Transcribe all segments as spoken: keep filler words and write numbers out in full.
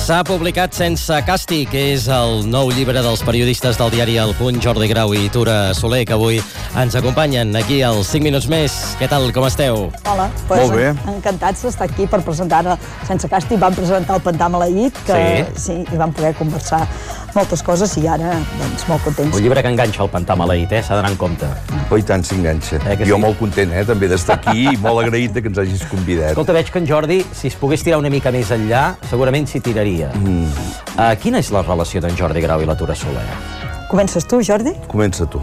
S'ha publicat Sense càstig, que és el nou llibre dels periodistes del diari El Punt, Jordi Grau i Tura Soler, que avui ens acompanyen aquí als cinc minuts més. Què tal, com esteu? Hola, pues molt bé. Encantats d'estar aquí per presentar Sense càstig. Vam presentar el Pantà Maleït, que sí. sí, i vam poder conversar moltes coses i ara, doncs, molt contents. Un llibre que enganxa el Pantà Maleït, eh? S'ha d'anar en compte. Oh, i tant s'enganxa. Eh, jo sí? molt content, eh, també d'estar aquí i molt agraït que ens hagis convidat. Escolta, veig que en Jordi, si es pogués tirar una mica més enllà, segurament s'hi tiraria. Mm. Uh, quina és la relació d'en Jordi Grau i la Tura Soler? Comences tu, Jordi? Comença tu.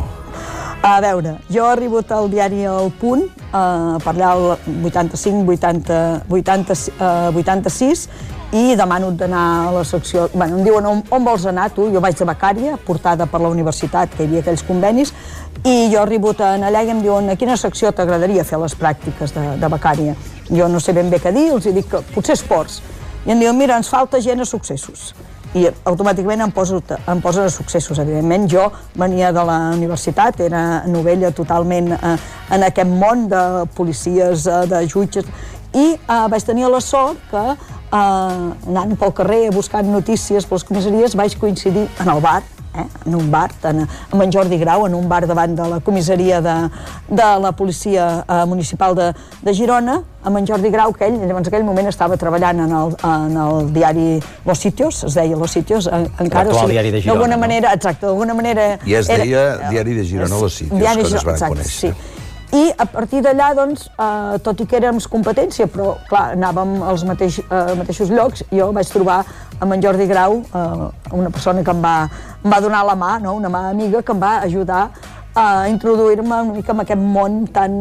A veure, jo he arribat al diari El Punt, uh, per allà el vuitanta-cinc vuitanta-sis, i demano d'anar a la secció... Bueno, em diuen, on, on vols anar tu? Jo vaig de becària, portada per la universitat, que hi havia aquells convenis, i jo arribo allà i em diuen, a quina secció t'agradaria fer les pràctiques de, de becària? Jo no sé ben bé què dir, els dic que potser esports. I em diuen, mira, ens falta gent a successos. I automàticament em poso, em posen a successos. Evidentment, jo venia de la universitat, era novella totalment eh, en aquest món de policies, eh, de jutges, i eh, vaig tenir la sort que, eh, anant pel carrer, buscant notícies per les comissaries, vaig coincidir en el bar, eh, en un bar, en, amb en Jordi Grau, en un bar davant de la comissaria de, de la policia eh, municipal de, de Girona, amb en Jordi Grau, que ell, llavors, en aquell moment estava treballant en el, en el diari Los Sitios, es deia Los Sitios, en, encara... L'actual diari de Girona, d'alguna no? manera, exacte, d'alguna manera... I es deia era, diari de Girona, Los Sitios, diari, quan es van exacte, conèixer. Sí. I a partir d'allà, doncs, eh, tot i que érem competència, però, clar, anàvem als mateix, eh, mateixos llocs, jo vaig trobar amb en Jordi Grau, eh, una persona que em va, em va donar la mà, no? Una mà amiga, que em va ajudar a introduir-me una mica en aquest món tan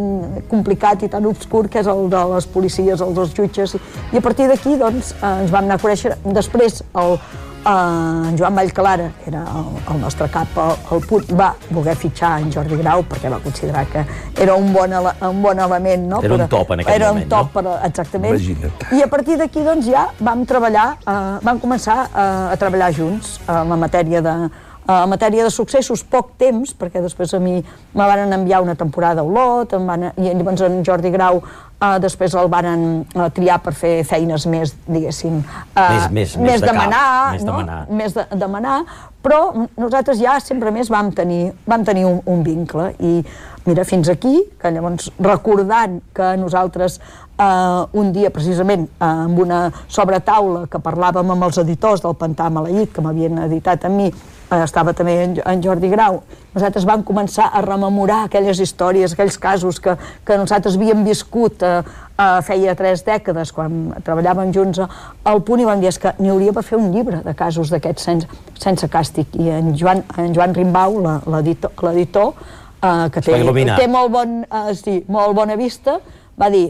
complicat i tan obscur que és el de les policies, els dos jutges. I a partir d'aquí, doncs, eh, ens vam anar a conèixer. Després, el, Uh, en Joan Vallclara, que era el, el nostre cap al, al Punt, va voler fitxar en Jordi Grau perquè va considerar que era un bon, ele un bon element, no? Era un top en aquell era moment, un top, no? Per, exactament. Imagina't. I a partir d'aquí, doncs, ja vam treballar, uh, vam començar uh, a treballar junts uh, en la matèria de en matèria de successos, poc temps, perquè després a mi me van enviar una temporada a Olot, em van, i llavors en Jordi Grau eh, després el van eh, triar per fer feines més, diguéssim, eh, més, més, més, més de demanar, més no? demanar. Més de demanar, però nosaltres ja sempre més vam tenir, vam tenir un, un vincle, i mira, fins aquí, que llavors recordant que nosaltres Uh, un dia, precisament, uh, amb una sobretaula que parlàvem amb els editors del Pantà Maleït, que m'havien editat a mi, uh, estava també en, en Jordi Grau, nosaltres vam començar a rememorar aquelles històries, aquells casos que, que nosaltres havíem viscut uh, uh, feia tres dècades, quan treballàvem junts al Punt, i vam dir que n'hi hauria per fer un llibre de casos d'aquests sense, sense càstig. I en Joan, en Joan Rimbau, l'editor, uh, que té, té molt, bon, uh, sí, molt bona vista, va dir: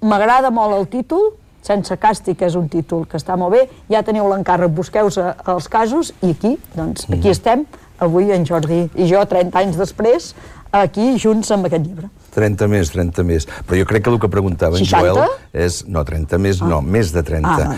m'agrada molt el títol, Sense càstig és un títol que està molt bé, ja teniu l'encàrrec, busqueu els casos, i aquí, doncs, aquí estem, avui en Jordi i jo, trenta anys després, aquí junts amb aquest llibre. trenta més, trenta més. Però jo crec que el que preguntava en Joel és... No, trenta més, no, més de trenta.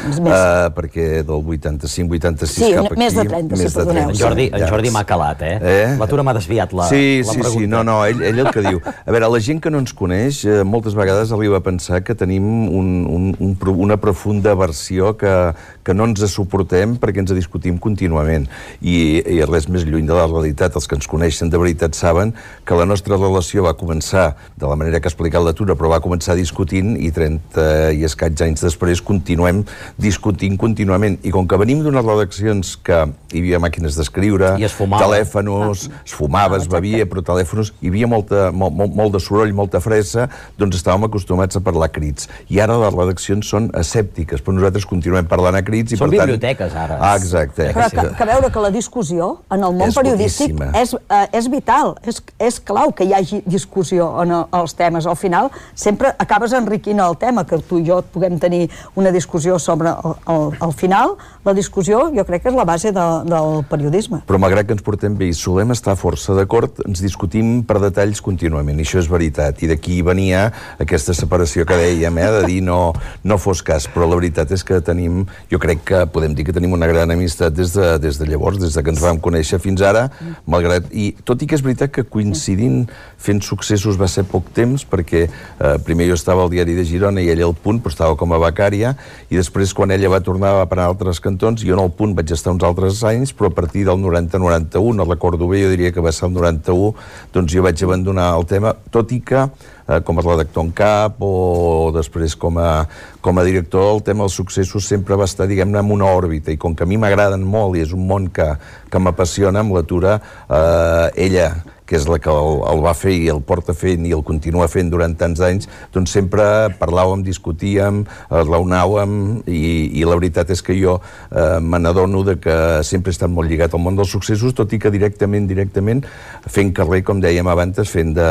Perquè del vuitanta-cinc vuitanta-sis cap aquí... Sí, més de trenta, si perdoneu. En Jordi m'ha calat, eh? La Tura m'ha desviat la pregunta. Sí, sí, no, no, ell el que diu. A veure, la gent que no ens coneix, moltes vegades arriba a pensar que tenim una profunda aversió que no ens suportem perquè ens discutim contínuament. I res més lluny de la realitat. Els que ens coneixen de veritat saben que la nostra relació va començar de la manera que ha explicat la Tura, però va començar discutint, i trenta i escaig anys després continuem discutint contínuament. I com que venim d'unes redaccions que hi havia màquines d'escriure, telèfons, es fumava, es bevia, però telèfons, hi havia molt de soroll, molta fressa, doncs estàvem acostumats a parlar a crits. I ara les redaccions són escèptiques, però nosaltres continuem parlant a crits. Són biblioteques, ara. Ah, exacte. Però que veure que la discussió en el món periodístic és vital, és clau que hi hagi discussió en els temes. Al final sempre acabes enriquint el tema, que tu i jo puguem tenir una discussió sobre el final. La discussió jo crec que és la base del periodisme. Però malgrat que ens portem bé i solem estar força d'acord, ens discutim per detalls contínuament, i això és veritat. I d'aquí venia aquesta separació que dèiem, de dir no fos cas, però la veritat és que tenim, jo crec que podem dir que tenim una gran amistat des de llavors, des que ens vam conèixer fins ara, malgrat... I tot i que és veritat que coincidint fent successos va ser poc temps, perquè eh, primer jo estava al Diari de Girona i ella al Punt, però estava com a becària, i després quan ella va tornar a parar a altres cantons, jo en el Punt vaig estar uns altres anys, però a partir del noranta noranta-u, no recordo bé, jo diria que va ser el noranta-u, doncs jo vaig abandonar el tema, tot i que eh, com a redactor en cap o després com a, com a director, el tema dels successos sempre va estar, diguem-ne, en una òrbita, i com que a mi m'agraden molt i és un món que, que m'apassiona, amb l'atura, eh, ella, que és la que el, el va fer i el porta fent i el continua fent durant tants anys, doncs sempre parlàvem, discutíem, raonàvem, i, i la veritat és que jo eh, me n'adono de que sempre he estat molt lligat al món dels successos, tot i que directament, directament, fent carrer, com dèiem abans, fent de,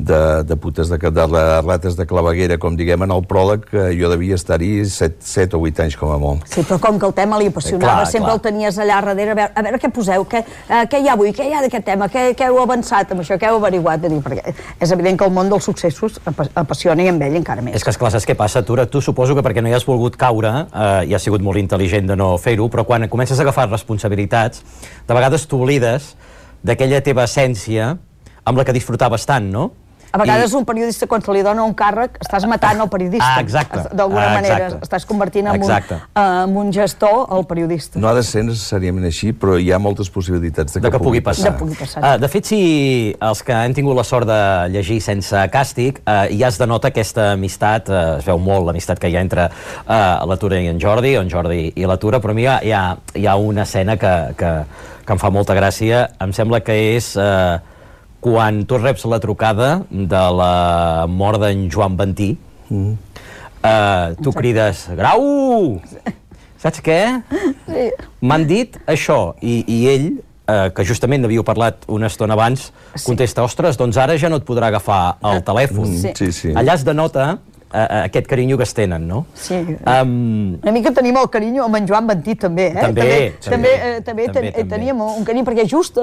de, de putes de, de, de rates de claveguera, com diguem en el pròleg, que jo devia estar-hi set o vuit anys com a molt. Sí, però com que el tema li apassionava, clar, sempre clar. El tenies allà darrere, a veure, a veure què poseu, què, uh, què hi ha avui, què hi ha d'aquest tema, què, què heu avançat amb això, què heu averiguat, dir, perquè és evident que el món dels successos apassiona i amb ell encara més. És que, esclar, saps què passa, Tura? Tu suposo que perquè no hi has volgut caure, eh, i has sigut molt intel·ligent de no fer-ho, però quan comences a agafar responsabilitats, de vegades t'oblides d'aquella teva essència amb la que disfrutaves tant, no? A vegades I... un periodista, quan se li dona un càrrec, estàs matant el periodista. Ah, exacte. D'alguna Ah, manera, estàs convertint en un, en un gestor el periodista. No ha de ser necessàriament així, però hi ha moltes possibilitats de que, de que pugui passar. De, pugui passar. Uh, de fet, si els que hem tingut la sort de llegir sense càstig, uh, ja es denota aquesta amistat, uh, es veu molt l'amistat que hi ha entre uh, la Tura i en Jordi, o en Jordi i la Tura, però a mi hi ha, hi ha, hi ha una escena que, que, que em fa molta gràcia, em sembla que és... Uh, quan tu reps la trucada de la mort d'en Joan Ventí, mm. eh, tu crides, Grau! Saps què? Sí. M'han dit això, i, i ell, eh, que justament n'havíeu parlat una estona abans, sí. Contesta, ostres, doncs ara ja no et podrà agafar el telèfon. Sí. Sí, sí. Allà es denota uh, aquest carinyo que es tenen, no? Sí. Um, una mica tenim el carinyo amb en Joan Ventí, també, eh? També, també. també, també, eh, també, també, ten, també teníem un carinyo, perquè just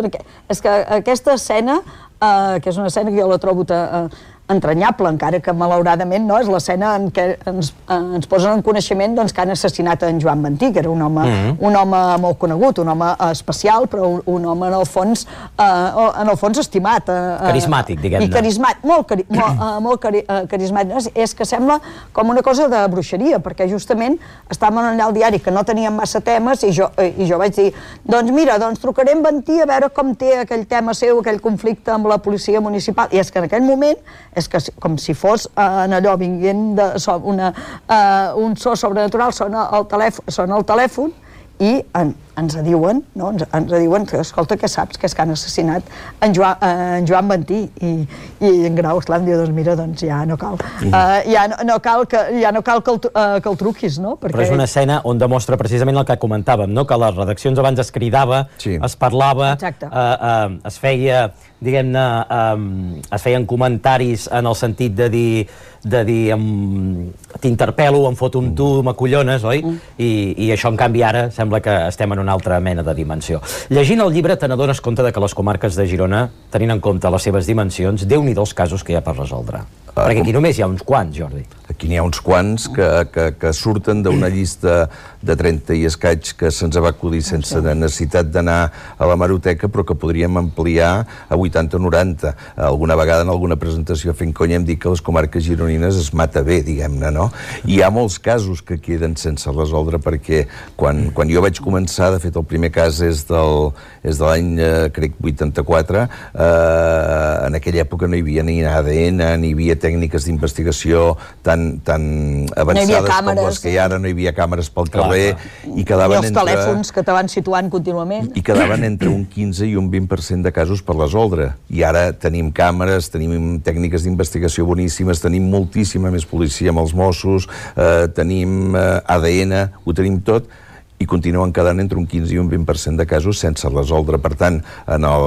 és que aquesta escena, uh, que és una escena que jo la trobo uh, entranyable, encara que malauradament no, és l'escena en què ens, eh, ens posen en coneixement doncs, que han assassinat en Joan Ventí, que era un home, mm-hmm. un home molt conegut, un home especial, però un, un home en el fons, eh, en el fons estimat. Eh, carismàtic, diguem-ne. I carismàtic, molt, cari molt, uh, molt cari uh, carismàtic. És, és que sembla com una cosa de bruixeria, perquè justament estàvem allà al diari que no teníem massa temes i jo, eh, i jo vaig dir, doncs mira, doncs trucaré en Ventí a veure com té aquell tema seu, aquell conflicte amb la policia municipal. I és que en aquell moment és que com si fos eh, en allò vinguent de so, una, eh, un so sobrenatural, sona el telèfon, sona el telèfon i en, ens diuen, no? ens, ens diuen que, escolta, què saps? Que és que han assassinat en Joan, eh, en Joan Ventí. I, i en Grau, esclar, em diu, doncs mira, doncs ja no cal. Mm. Uh, ja, no, no cal que, ja no cal que el, uh, que el truquis, no? Perquè... Però és una escena on demostra precisament el que comentàvem, no? Que a les redaccions abans es cridava, sí. es parlava, uh, uh, es feia, diguem-ne, um, es feien comentaris en el sentit de dir, de dir um, t'interpel·lo, em foto amb tu, m'acollones, oi? Mm. I, I això, en canvi, ara sembla que estem en una altra mena de dimensió. Llegint el llibre te n'adones compte de que les comarques de Girona, tenint en compte les seves dimensions, Déu-n'hi-do els casos que hi ha per resoldre. Uh, Perquè aquí com... només hi ha uns quants, Jordi. Aquí n'hi ha uns quants que, que, que surten d'una llista de trenta i escaig que se'ns va acudir sense necessitat d'anar a la hemeroteca, però que podríem ampliar a vuitanta o noranta. Alguna vegada en alguna presentació fent conya hem dit que les comarques gironines es mata bé, diguem-ne, no? I hi ha molts casos que queden sense resoldre perquè quan, quan jo vaig començar, de fet el primer cas és, del, és de l'any, eh, crec, vuitanta-quatre, eh, en aquella època no hi havia ni A D N, ni hi havia tècniques d'investigació tan, tan avançades no com les que hi ha ara, no hi havia càmeres pel carrer, i quedaven I els entre... telèfons que te van situant contínuament. I quedaven entre un quinze i un vint per cent de casos per resoldre. I ara tenim càmeres, tenim tècniques d'investigació boníssimes, tenim moltíssima més policia amb els Mossos, eh, tenim eh, A D N, ho tenim tot, i continuen quedant entre un quinze i un vint per cent de casos sense resoldre. Per tant, en el,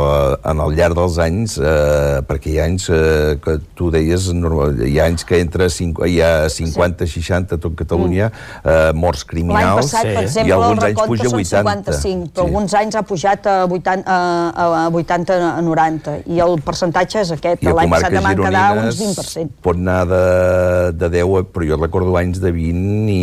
en el llarg dels anys, eh, perquè hi ha anys eh, que tu deies, hi ha anys que entre cinc, hi ha cinquanta, seixanta a tot Catalunya, eh, morts criminals. L'any passat, per exemple, i alguns el anys puja a recompte són cinquanta-cinc, però sí. alguns anys ha pujat a vuitanta, a vuitanta a noranta, i el percentatge és aquest. L'any passat en van quedar uns vint per cent. Pot anar de, de deu, però jo recordo anys de vint i,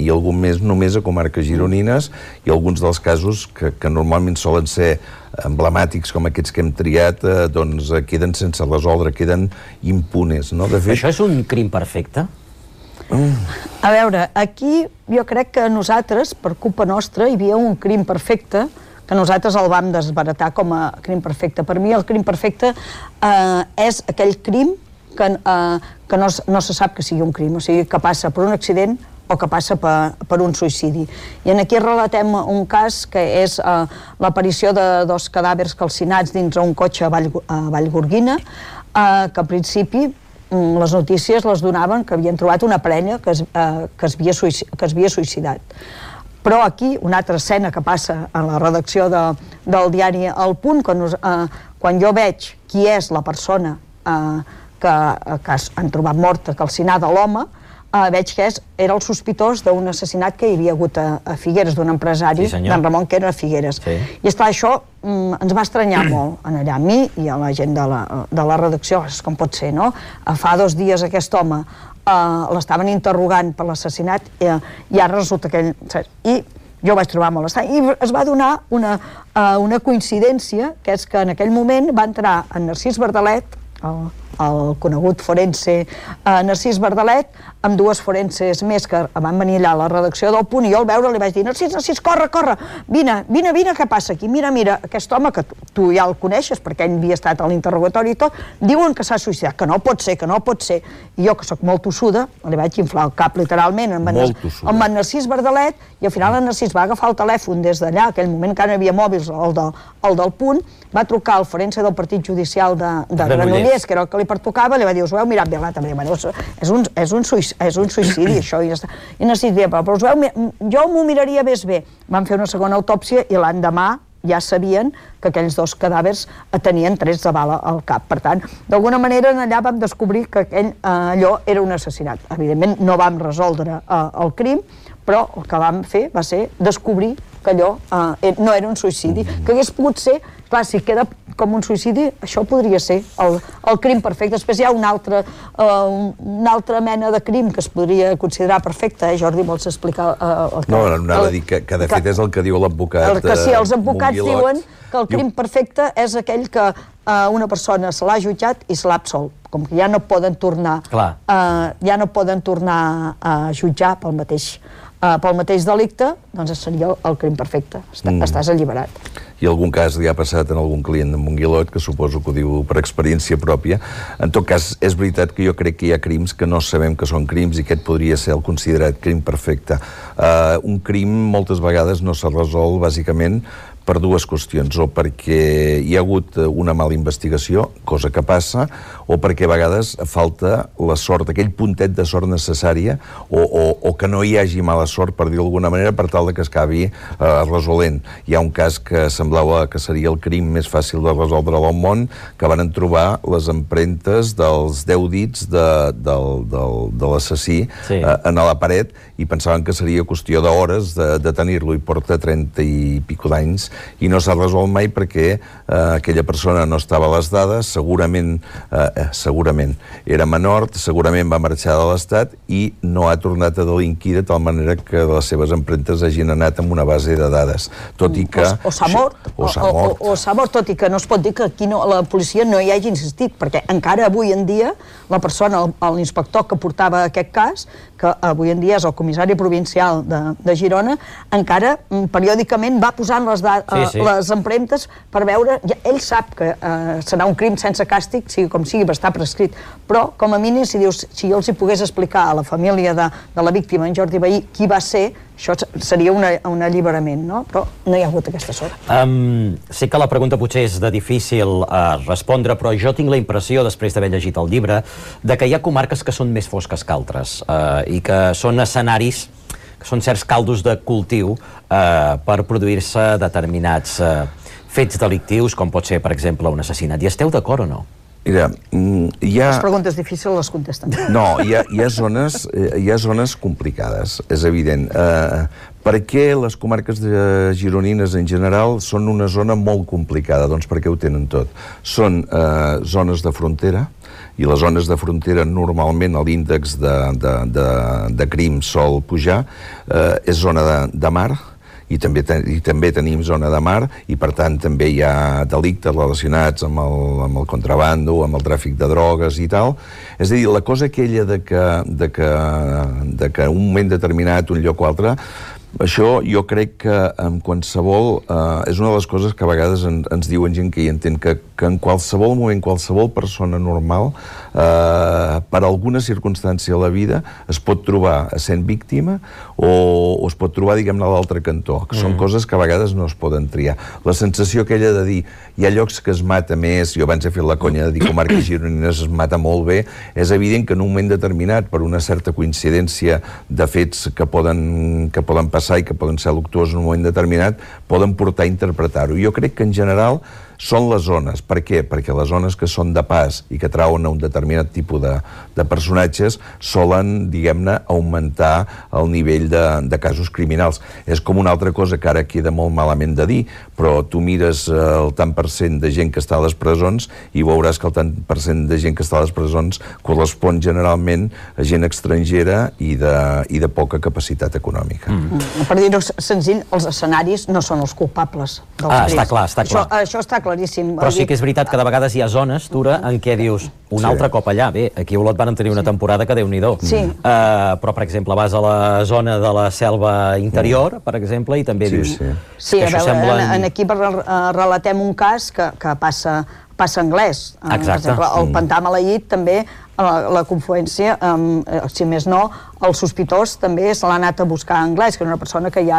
i algun mes només a comarques gironines, gironines, i alguns dels casos que, que normalment solen ser emblemàtics com aquests que hem triat, eh, doncs eh, queden sense resoldre, queden impunes, no? De fet... Això és un crim perfecte? Mm. A veure, aquí jo crec que nosaltres, per culpa nostra, hi havia un crim perfecte que nosaltres el vam desbaratar com a crim perfecte. Per mi el crim perfecte eh, és aquell crim que, eh, que no, no se sap que sigui un crim, o sigui, que passa per un accident o que passa per, per un suïcidi. I aquí relatem un cas que és eh, l'aparició de dos cadàvers calcinats dins un cotxe a, Vall, a Vallgorguina, eh, que en principi les notícies les donaven que havien trobat una parella que es, eh, que es, havia, que es havia suïcidat. Però aquí, una altra escena que passa a la redacció de, del diari El Punt, quan, nos, eh, quan jo veig qui és la persona eh, que, que han trobat morta, calcinada, l'home, Uh, veig que és, era el sospitós d'un assassinat que hi havia hagut a, a Figueres, d'un empresari, sí, d'en Ramon, que era a Figueres. Sí. I esclar, això mm, ens va estranyar molt, en allà, a mi i a la gent de la, de la redacció, és com pot ser, no? Uh, fa dos dies aquest home uh, l'estaven interrogant per l'assassinat i, i ara resulta que ell... I jo ho vaig trobar molt estrany. I es va donar una, uh, una coincidència, que és que en aquell moment va entrar en Narcís Bardalet, el, el conegut forense eh, Narcís Bardalet, amb dues forenses més que van venir allà a la redacció del Punt, i jo al veure li vaig dir, Narcís, Narcís, corre, corre, vine, vine, vine, què passa aquí? Mira, mira, aquest home, que tu, tu ja el coneixes perquè ell havia estat a l'interrogatori i tot, diuen que s'ha suïcidat, que no pot ser, que no pot ser. I jo, que sóc molt tossuda, li vaig inflar el cap literalment amb en, amb en Narcís Bardalet, i al final en Narcís va agafar el telèfon des d'allà, aquell moment que no hi havia mòbils, el, de, el del Punt, va trucar al forense del Partit Judicial de, de Granollers, que era el que li pertocava, li va dir, us ho heu mirat bé, l'altre, bueno, és un, és un, suïcidi, és un suïcidi, això, i ja està. I Narcís deia, però us ho heu, jo m'ho miraria més bé. Van fer una segona autòpsia i l'endemà ja sabien que aquells dos cadàvers tenien trets de bala al cap. Per tant, d'alguna manera allà vam descobrir que aquell, eh, allò era un assassinat. Evidentment no vam resoldre eh, el crim, però el que vam fer va ser descobrir que allò eh, no era un suïcidi, que hagués pogut ser, clar, si queda com un suïcidi, això podria ser el, el crim perfecte. Després hi ha una altra, uh, una altra mena de crim que es podria considerar perfecte. Eh? Jordi, vols explicar? Uh, el que, no, anava a dir que, que de fet és el que diu l'advocat. Que sí, els advocats diuen que el crim perfecte és aquell que uh, una persona se l'ha jutjat i se l'ha absolt. Com que ja no poden tornar, uh, ja no poden tornar a jutjar pel mateix, uh, pel mateix delicte, doncs seria el, el crim perfecte. Està, mm. Estàs alliberat. I algun cas li ha passat en algun client de Montguilot, que suposo que ho diu per experiència pròpia. En tot cas, és veritat que jo crec que hi ha crims que no sabem que són crims i aquest podria ser el considerat crim perfecte. Uh, un crim moltes vegades no s'ha resolt bàsicament per dues qüestions, o perquè hi ha hagut una mala investigació, cosa que passa, o perquè a vegades falta la sort, aquell puntet de sort necessària, o, o, o que no hi hagi mala sort, per dir d'alguna manera, per tal de que es acabi eh, resolent. Hi ha un cas que semblava que seria el crim més fàcil de resoldre al món, que van trobar les empremtes dels deu dits de, del, del, de l'assassí sí. eh, en la paret, i pensaven que seria qüestió d'hores de, de tenir-lo, i porta trenta i pico d'anys, i no s'ha resolt mai perquè eh, aquella persona no estava a les dades, segurament, eh, segurament era menor, segurament va marxar de l'Estat i no ha tornat a delinquir de tal manera que les seves empremtes hagin anat amb una base de dades. Tot i que... O, o s'ha mort, o, o, o, o, o s'ha mort, tot i que no es pot dir que aquí no, la policia no hi hagi insistit, perquè encara avui en dia la persona, l'inspector que portava aquest cas, que avui en dia és el comissari provincial de, de Girona, encara periòdicament va posant les, sí, sí. les empremtes per veure, ja, ell sap que eh, serà un crim sense càstig, sigui com sigui, està prescrit, però com a mínim si dius, si jo els hi pogués explicar a la família de, de la víctima, en Jordi Vehí, qui va ser, això seria una, un alliberament, no? Però no hi ha hagut aquesta sort. Um, sé que la pregunta potser és de difícil uh, respondre, però jo tinc la impressió, després d'haver llegit el llibre, de que hi ha comarques que són més fosques que altres uh, i que són escenaris, que són certs caldos de cultiu uh, per produir-se determinats uh, fets delictius, com pot ser, per exemple, un assassinat. I esteu d'acord o no? Mira, hi ha... Les preguntes difícils les contesten. No, hi ha, hi ha, zones, hi ha zones complicades, és evident. Eh, per què les comarques de gironines en general són una zona molt complicada? Doncs perquè ho tenen tot. Són eh, zones de frontera, i les zones de frontera normalment l'índex de, de, de, de crim sol pujar, eh, és zona de, de mar, i també, ten, i també tenim zona de mar, i per tant també hi ha delictes relacionats amb el, amb el contrabando, amb el tràfic de drogues i tal. És a dir, la cosa aquella de que, de que, de que un moment determinat, un lloc o altre, això jo crec que en qualsevol... Eh, és una de les coses que a vegades en, ens diuen gent que hi entén, que, que en qualsevol moment, qualsevol persona normal, eh, per alguna circumstància a la vida, es pot trobar sent víctima o, o es pot trobar, diguem-ne, a l'altre cantó. Que mm. Són coses que a vegades no es poden triar. La sensació aquella de dir hi ha llocs que es mata més, jo abans he fet la conya de dir comarques gironines es mata molt bé, és evident que en un moment determinat, per una certa coincidència de fets que poden, que poden passar i que poden ser luctuosos en un moment determinat, poden portar a interpretar-ho. Jo crec que en general són les zones. Per què? Perquè les zones que són de pas i que trauen a un determinat tipus de, de personatges solen, diguem-ne, augmentar el nivell de, de casos criminals. És com una altra cosa que ara queda molt malament de dir, però tu mires el tant per cent de gent que està a les presons i veuràs que el tant per cent de gent que està a les presons correspon generalment a gent estrangera i de, i de poca capacitat econòmica. Mm. Per dir-ho senzill, els escenaris no són els culpables dels ah, crims. Està clar, està clar. Això, això està clar. Claríssim. Però sí que és veritat que de vegades hi ha zones, Tura, en què dius un sí. altre cop allà. Bé, aquí a Olot van tenir una sí. temporada que Déu-n'hi-do. Sí. Uh, però, per exemple, vas a la zona de la selva interior, mm. per exemple, i també sí, dius... Sí, sí a veure, semblen... en, en aquí relatem un cas que, que passa, passa anglès. Exacte. Per exemple, el mm. Pantà Maleït també, la, la confluència, um, si més no, el sospitós també se l'ha anat a buscar a anglès, que era una persona que hi ha,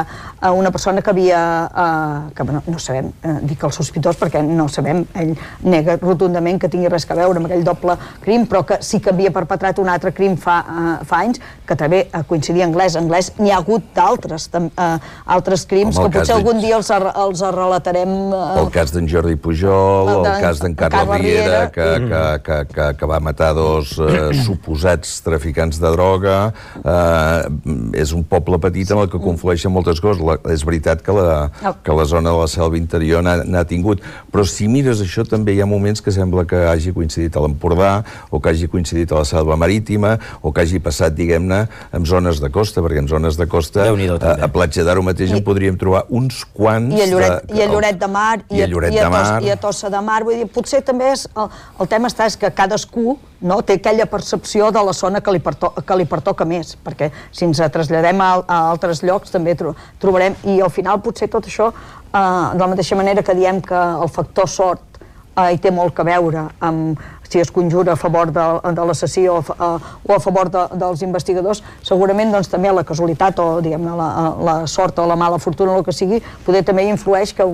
una persona que havia, uh, que no, no sabem, uh, dic el sospitós perquè no sabem, ell nega rotundament que tingui res a veure amb aquell doble crim, però que sí que havia perpetrat un altre crim fa, uh, fa anys, que també uh, coincidia anglès. Anglès n'hi ha hagut d'altres, uh, altres crims, que potser algun dia els, els relatarem. Uh, el cas d'en Jordi Pujol, el cas d'en Carles Riera, que, que, que, que, que va matar dos uh, suposats traficants de droga. Uh, és un poble petit en el que conflueixen moltes coses. La, és veritat que la, que la zona de la selva interior n'ha tingut, però si mires això també hi ha moments que sembla que hagi coincidit a l'Empordà, o que hagi coincidit a la selva marítima, o que hagi passat, diguem-ne, en zones de costa, perquè en zones de costa, a, a Platja d'Aro mateix en podríem trobar uns quants... I a Lloret de, i a Lloret de Mar, i a, Lloret i a, de Mar. I a Tossa de Mar. Vull dir, potser també és, el, el tema està és que cadascú no, té aquella percepció de la zona que li, perto, que li pertoca més, perquè si ens traslladem a, a altres llocs també tro, trobarem, i al final potser tot això, eh, de la mateixa manera que diem que el factor sort eh, hi té molt que veure amb si es conjura a favor de, de l'assassí o, uh, o a favor de, dels investigadors, segurament doncs, també la casualitat o diguem-ne la, la sort o la mala fortuna o el que sigui, poder també influeix que,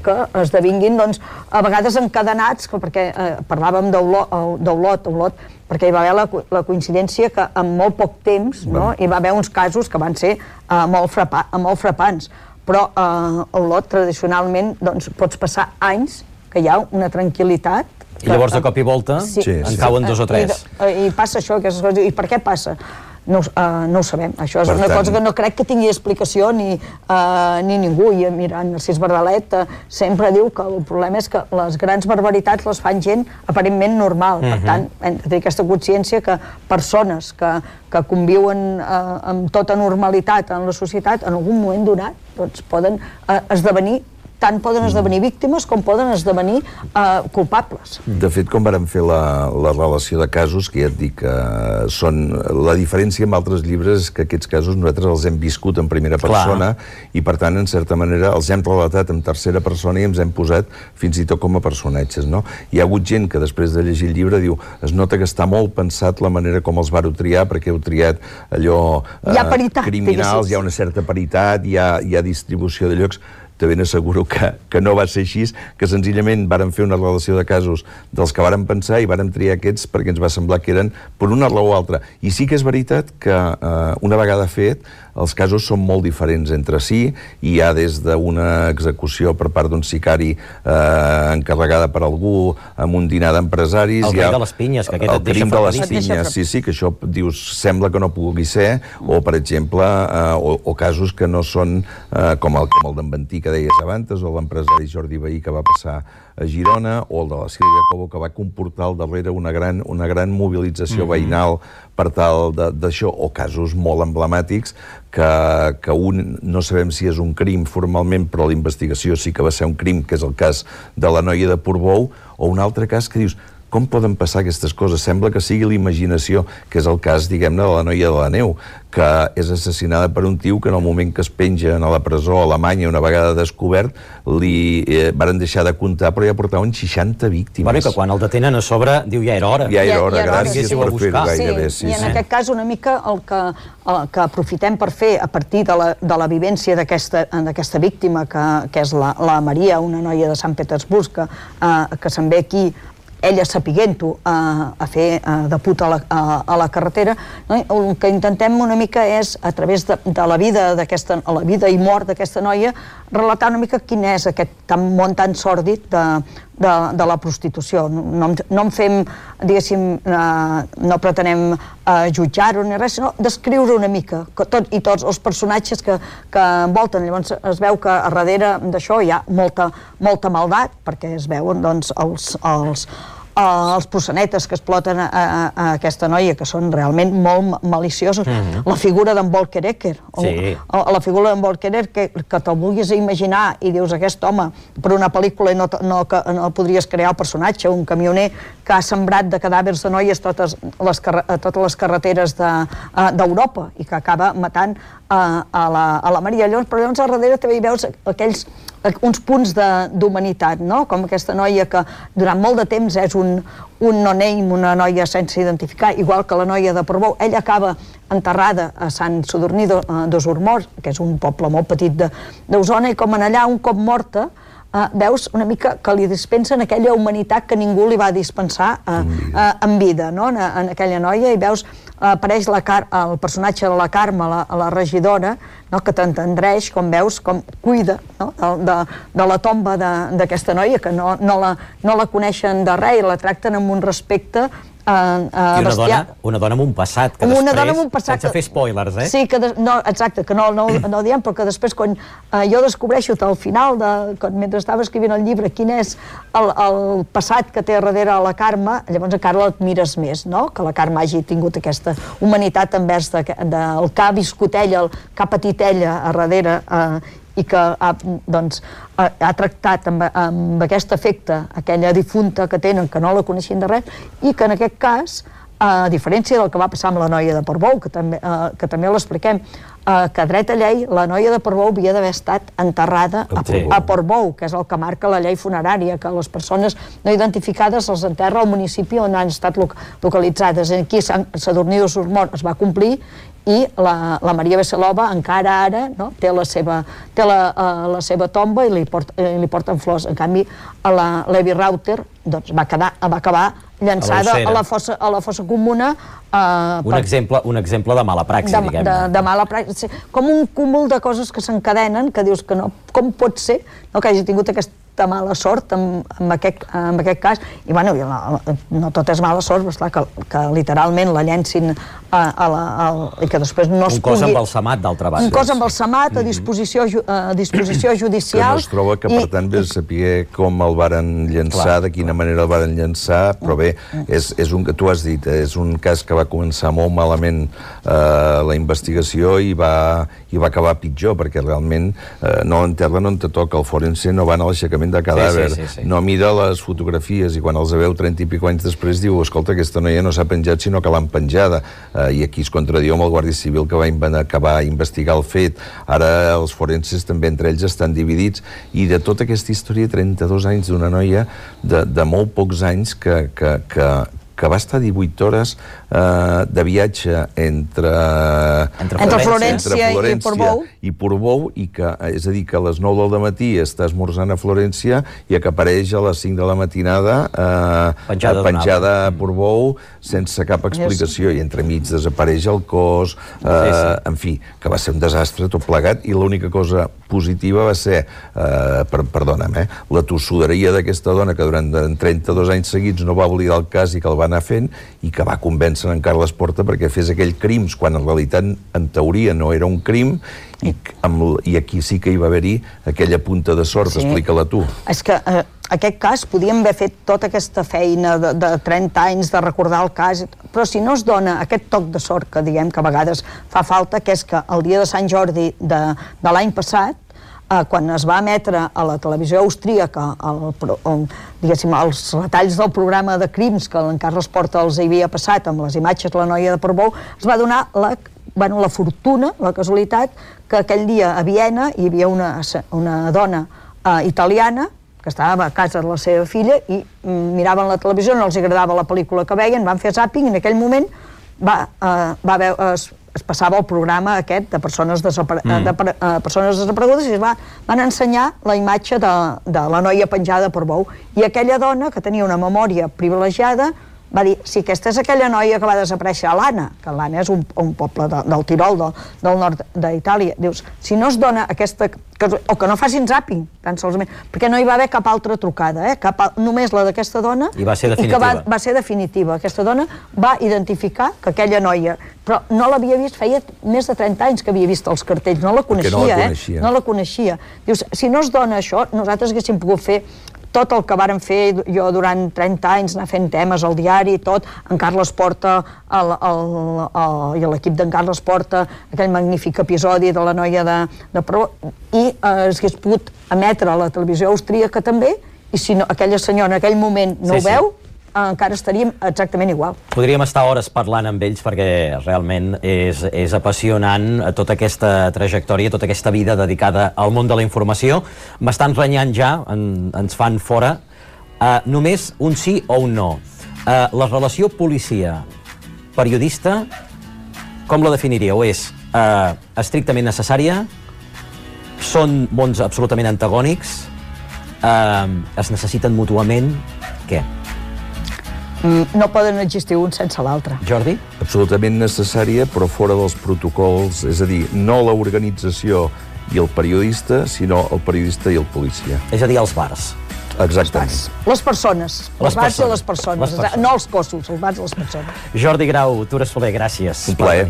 que esdevinguin doncs, a vegades encadenats, perquè eh, parlàvem d'Olot, Olot, perquè hi va haver la, la coincidència que en molt poc temps no, hi va haver uns casos que van ser uh, molt, frapa, molt frapants, però uh, a Olot tradicionalment doncs, pots passar anys que hi ha una tranquil·litat. I llavors de cop i volta sí, en sí. cauen dos o tres. I, i passa això, aquestes coses. I per què passa? No, uh, no ho sabem. Això és per una tant... cosa que no crec que tingui explicació ni, uh, ni ningú. I mira, en Narcís Bardalet uh, sempre diu que el problema és que les grans barbaritats les fan gent aparentment normal. Uh-huh. Per tant, hem de tenir aquesta consciència que persones que, que conviuen uh, amb tota normalitat en la societat, en algun moment donat, doncs poden uh, esdevenir tant poden esdevenir víctimes com poden esdevenir uh, culpables. De fet, com vàrem fer la, la relació de casos, que ja et dic que són... La diferència amb altres llibres és que aquests casos nosaltres els hem viscut en primera persona. Clar. I, per tant, en certa manera, els hem relatat en tercera persona i ens hem posat fins i tot com a personatges, no? Hi ha hagut gent que després de llegir el llibre diu es nota que està molt pensat la manera com els vàreu triar, perquè heu triat allò... Hi ha paritat, eh, criminals, hi ha una certa paritat, hi ha, hi ha distribució de llocs. Te ben asseguro que, que no va ser així, que senzillament vàrem fer una relació de casos dels que vàrem pensar i vàrem triar aquests perquè ens va semblar que eren per una raó o altra. I sí que és veritat que eh, una vegada fet, els casos són molt diferents entre si, i hi ha des d'una execució per part d'un sicari eh, encarregada per algú amb un dinar d'empresaris... El crim de les pinyes, que aquest et deixa de les pinyes, sí, sí, que això dius, sembla que no pugui ser, o per exemple, eh, o, o casos que no són eh, com el, com el d'en Ventí, que deies abans, o l'empresari Jordi Vehí que va passar a Girona, o el de la Sílvia Cobo, que va comportar al darrere una gran, una gran mobilització mm-hmm. veïnal per tal d'això, o casos molt emblemàtics que, que un, no sabem si és un crim formalment, però la investigació sí que va ser un crim, que és el cas de la noia de Portbou, o un altre cas que dius, com poden passar aquestes coses? Sembla que sigui l'imaginació, que és el cas, diguem-ne, de la noia de la neu, que és assassinada per un tio que en el moment que es penja a la presó a Alemanya, una vegada descobert, li eh, varen deixar de comptar, però ja portaven seixanta víctimes. Bueno, que quan el detenen a sobre, diu, ja era hora. Ja era hora, ja era hora, gràcies sí. per fer-ho gairebé. Sí, i en aquest cas una mica el que, el que aprofitem per fer a partir de la, de la vivència d'aquesta víctima, que, que és la, la Maria, una noia de Sant Petersburg, que, eh, que se'n ve aquí ella sapiguent-ho a, a fer a, de puta a la, a, a la carretera, no? El que intentem una mica és, a través de, de la vida d'aquesta, la vida i mort d'aquesta noia, relatar una mica quin és aquest tan, món tan sòrdid de, de, de la prostitució. No, no en fem, diguéssim, eh, no pretenem eh, jutjar-ho ni res, sinó descriure una mica, que tot, i tots els personatges que, que envolten. Llavors es veu que a darrere d'això hi ha molta, molta maldat, perquè es veuen doncs, els, els, els proxenetes que exploten a, a, a aquesta noia, que són realment molt maliciosos. Mm-hmm. La figura d'en Volker Ecker, sí. o, o la figura d'en Volker Ecker, que, que te'l vulguis imaginar i dius, aquest home, per una pel·lícula no, no, no podries crear el personatge, un camioner que ha sembrat de cadàvers de noies totes les, totes les carreteres d'Europa de, i que acaba matant a, a, la, a la Maria. Llavors, però llavors a darrere també hi veus aquells uns punts d'humanitat, no? Com aquesta noia que durant molt de temps és un, un no-name, una noia sense identificar, igual que la noia de Portbou. Ella acaba enterrada a Sant Sadurní d'Osormort, que és un poble molt petit d'Osona, i com en allà, un cop morta, Uh, veus una mica que li dispensen aquella humanitat que ningú li va dispensar uh, uh, en vida, no? en, en aquella noia, i veus, uh, apareix la Car el personatge de la Carme, la, la regidora, no? Que t'entendreix, com veus, com cuida, no? de, de, de la tomba d'aquesta noia, que no, no, la, no la coneixen de res i la tracten amb un respecte Uh, uh, I una dona, una dona amb un passat, que una després, dona amb un passat, sense fer spoilers, eh? Sí, que de, no, exacte, que no, no, no ho diem, però que després, quan uh, jo descobreixo al final, de, quan, mentre estava escrivint el llibre, quin és el, el passat que té a darrere la Carme, llavors encara l'admires més, no? Que la Carme hagi tingut aquesta humanitat envers de, de, el que ha viscut ella, el que ha patit ella a darrere, uh, i que ha, doncs, ha, ha tractat amb, amb aquest efecte aquella difunta que tenen, que no la coneixien de res, i que en aquest cas, a diferència del que va passar amb la noia de Portbou, que també, eh, que també l'expliquem, eh, que a dret a llei la noia de Portbou havia d'haver estat enterrada a, sí. a Portbou, que és el que marca la llei funerària, que les persones no identificades els enterra al municipi on han estat localitzades. Aquí a Sadurní d'Osormort es va complir, i la, la Maria Veselova encara ara, no? té, la seva, té la, uh, la seva tomba i li, port, eh, li porten flors. En canvi, a la Levi Rauter doncs, va, quedar, va acabar llançada a, a, la, fossa, a la fossa comuna. Uh, un, per, exemple, un exemple de mala praxi, de, diguem-ne. De, de mala praxi. Com un cúmul de coses que s'encadenen, que dius que no, com pot ser no, que hagi tingut aquesta mala sort en, en, aquest, en aquest cas, i bueno, la, no tot és mala sort, però esclar, que, que literalment la llencin a, a la, a, i que després no es un cos pugui... embalsamat, d'altra banda. Un cos embalsamat a disposició, a disposició judicial. Que no es troba que, per tant, vés a saber com el varen llançar, de quina manera el varen llançar, però bé, és, és un que tu has dit, és un cas que va començar molt malament eh, la investigació i va, i va acabar pitjor, perquè realment eh, no enterren on te toca, el forense no van a l'aixecament de cadàver, sí, sí, sí, sí. no mira les fotografies i quan els veu trenta i pico anys després diu, escolta, aquesta noia no s'ha penjat sinó que l'han penjada, eh, i aquí es contradiu amb el Guàrdia Civil que va acabar a investigar el fet. Ara els forenses també entre ells estan dividits, i de tota aquesta història, trenta-dos anys d'una noia de, de molt pocs anys que, que, que, que va estar divuit hores eh, de viatge entre, entre, entre Florència, entre Florència i Portbou, i Portbou, i que, és a dir, que a les nou del matí està esmorzant a Florència i que apareix a les cinc de la matinada eh, penjada, penjada a Portbou sense cap explicació, i entremig desapareix el cos, eh, sí, sí. en fi, que va ser un desastre tot plegat, i l'única cosa positiva va ser, eh, per, perdona'm, eh, la tossuderia d'aquesta dona que durant trenta-dos anys seguits no va oblidar el cas i que el va anar fent, i que va convèncer en Carles Porta perquè fes aquell crims, quan en realitat, en teoria, no era un crim, i, amb, i aquí sí que hi va haver-hi aquella punta de sort, sí. Explica-la tu. És que eh, aquest cas, podíem haver fet tota aquesta feina de, de trenta anys, de recordar el cas, però si no es dona aquest toc de sort que diguem que a vegades fa falta, que és que el dia de Sant Jordi de, de l'any passat, eh, quan es va emetre a la televisió austríaca el, el, diguéssim, els retalls del programa de crims que en Carles Porta els havia passat amb les imatges de la noia de Portbou, es va donar la, bueno, la fortuna, la casualitat, que aquell dia a Viena hi havia una, una dona eh, italiana que estava a casa de la seva filla i miraven la televisió, no els agradava la pel·lícula que veien, van fer zàping i en aquell moment va, eh, va haver, es, es passava el programa aquest de persones, desapare mm. de, uh, persones desaparegudes i es va, van ensenyar la imatge de, de la noia penjada per bou. I aquella dona, que tenia una memòria privilegiada, va dir, si aquesta és aquella noia que va desaparèixer a l'Anna, que l'Anna és un, un poble de, del Tirol, de, del nord d'Itàlia, dius, si no es dona aquesta... Que, o que no facin zàping, tan solament, perquè no hi va haver cap altra trucada, eh? cap, només la d'aquesta dona, i va ser definitiva. I que va, va ser definitiva. Aquesta dona va identificar que aquella noia, però no l'havia vist, feia més de trenta anys que havia vist els cartells, no la coneixia, no la coneixia. eh? No la coneixia. Dius, si no es dona això, nosaltres haguéssim pogut fer tot el que vàrem fer jo durant trenta anys, anar fent temes al diari i tot, en Carles Porta el, el, el, i l'equip d'en Carles Porta, aquell magnífic episodi de la noia de, de Pro, i eh, es hagués pogut emetre a la televisió austríaca també, i si no, aquella senyora en aquell moment no sí, ho veu, sí. encara estaríem exactament igual. Podríem estar hores parlant amb ells perquè realment és, és apassionant tota aquesta trajectòria, tota aquesta vida dedicada al món de la informació. M'estan renyant ja, en, ens fan fora. Uh, només un sí o un no. Uh, la relació policia-periodista, com la definiríeu? És uh, estrictament necessària? Són mons absolutament antagònics? Uh, es necessiten mútuament? Què? No poden existir un sense l'altre. Jordi? Absolutament necessària, però fora dels protocols, és a dir, no l'organització i el periodista, sinó el periodista i el policia. És a dir, els bars. Exactament. Les persones. Les els bars persones. i les persones. Les persones. No els cossos, els bars i les persones. Jordi Grau, Tura Soler, gràcies. Un plaer.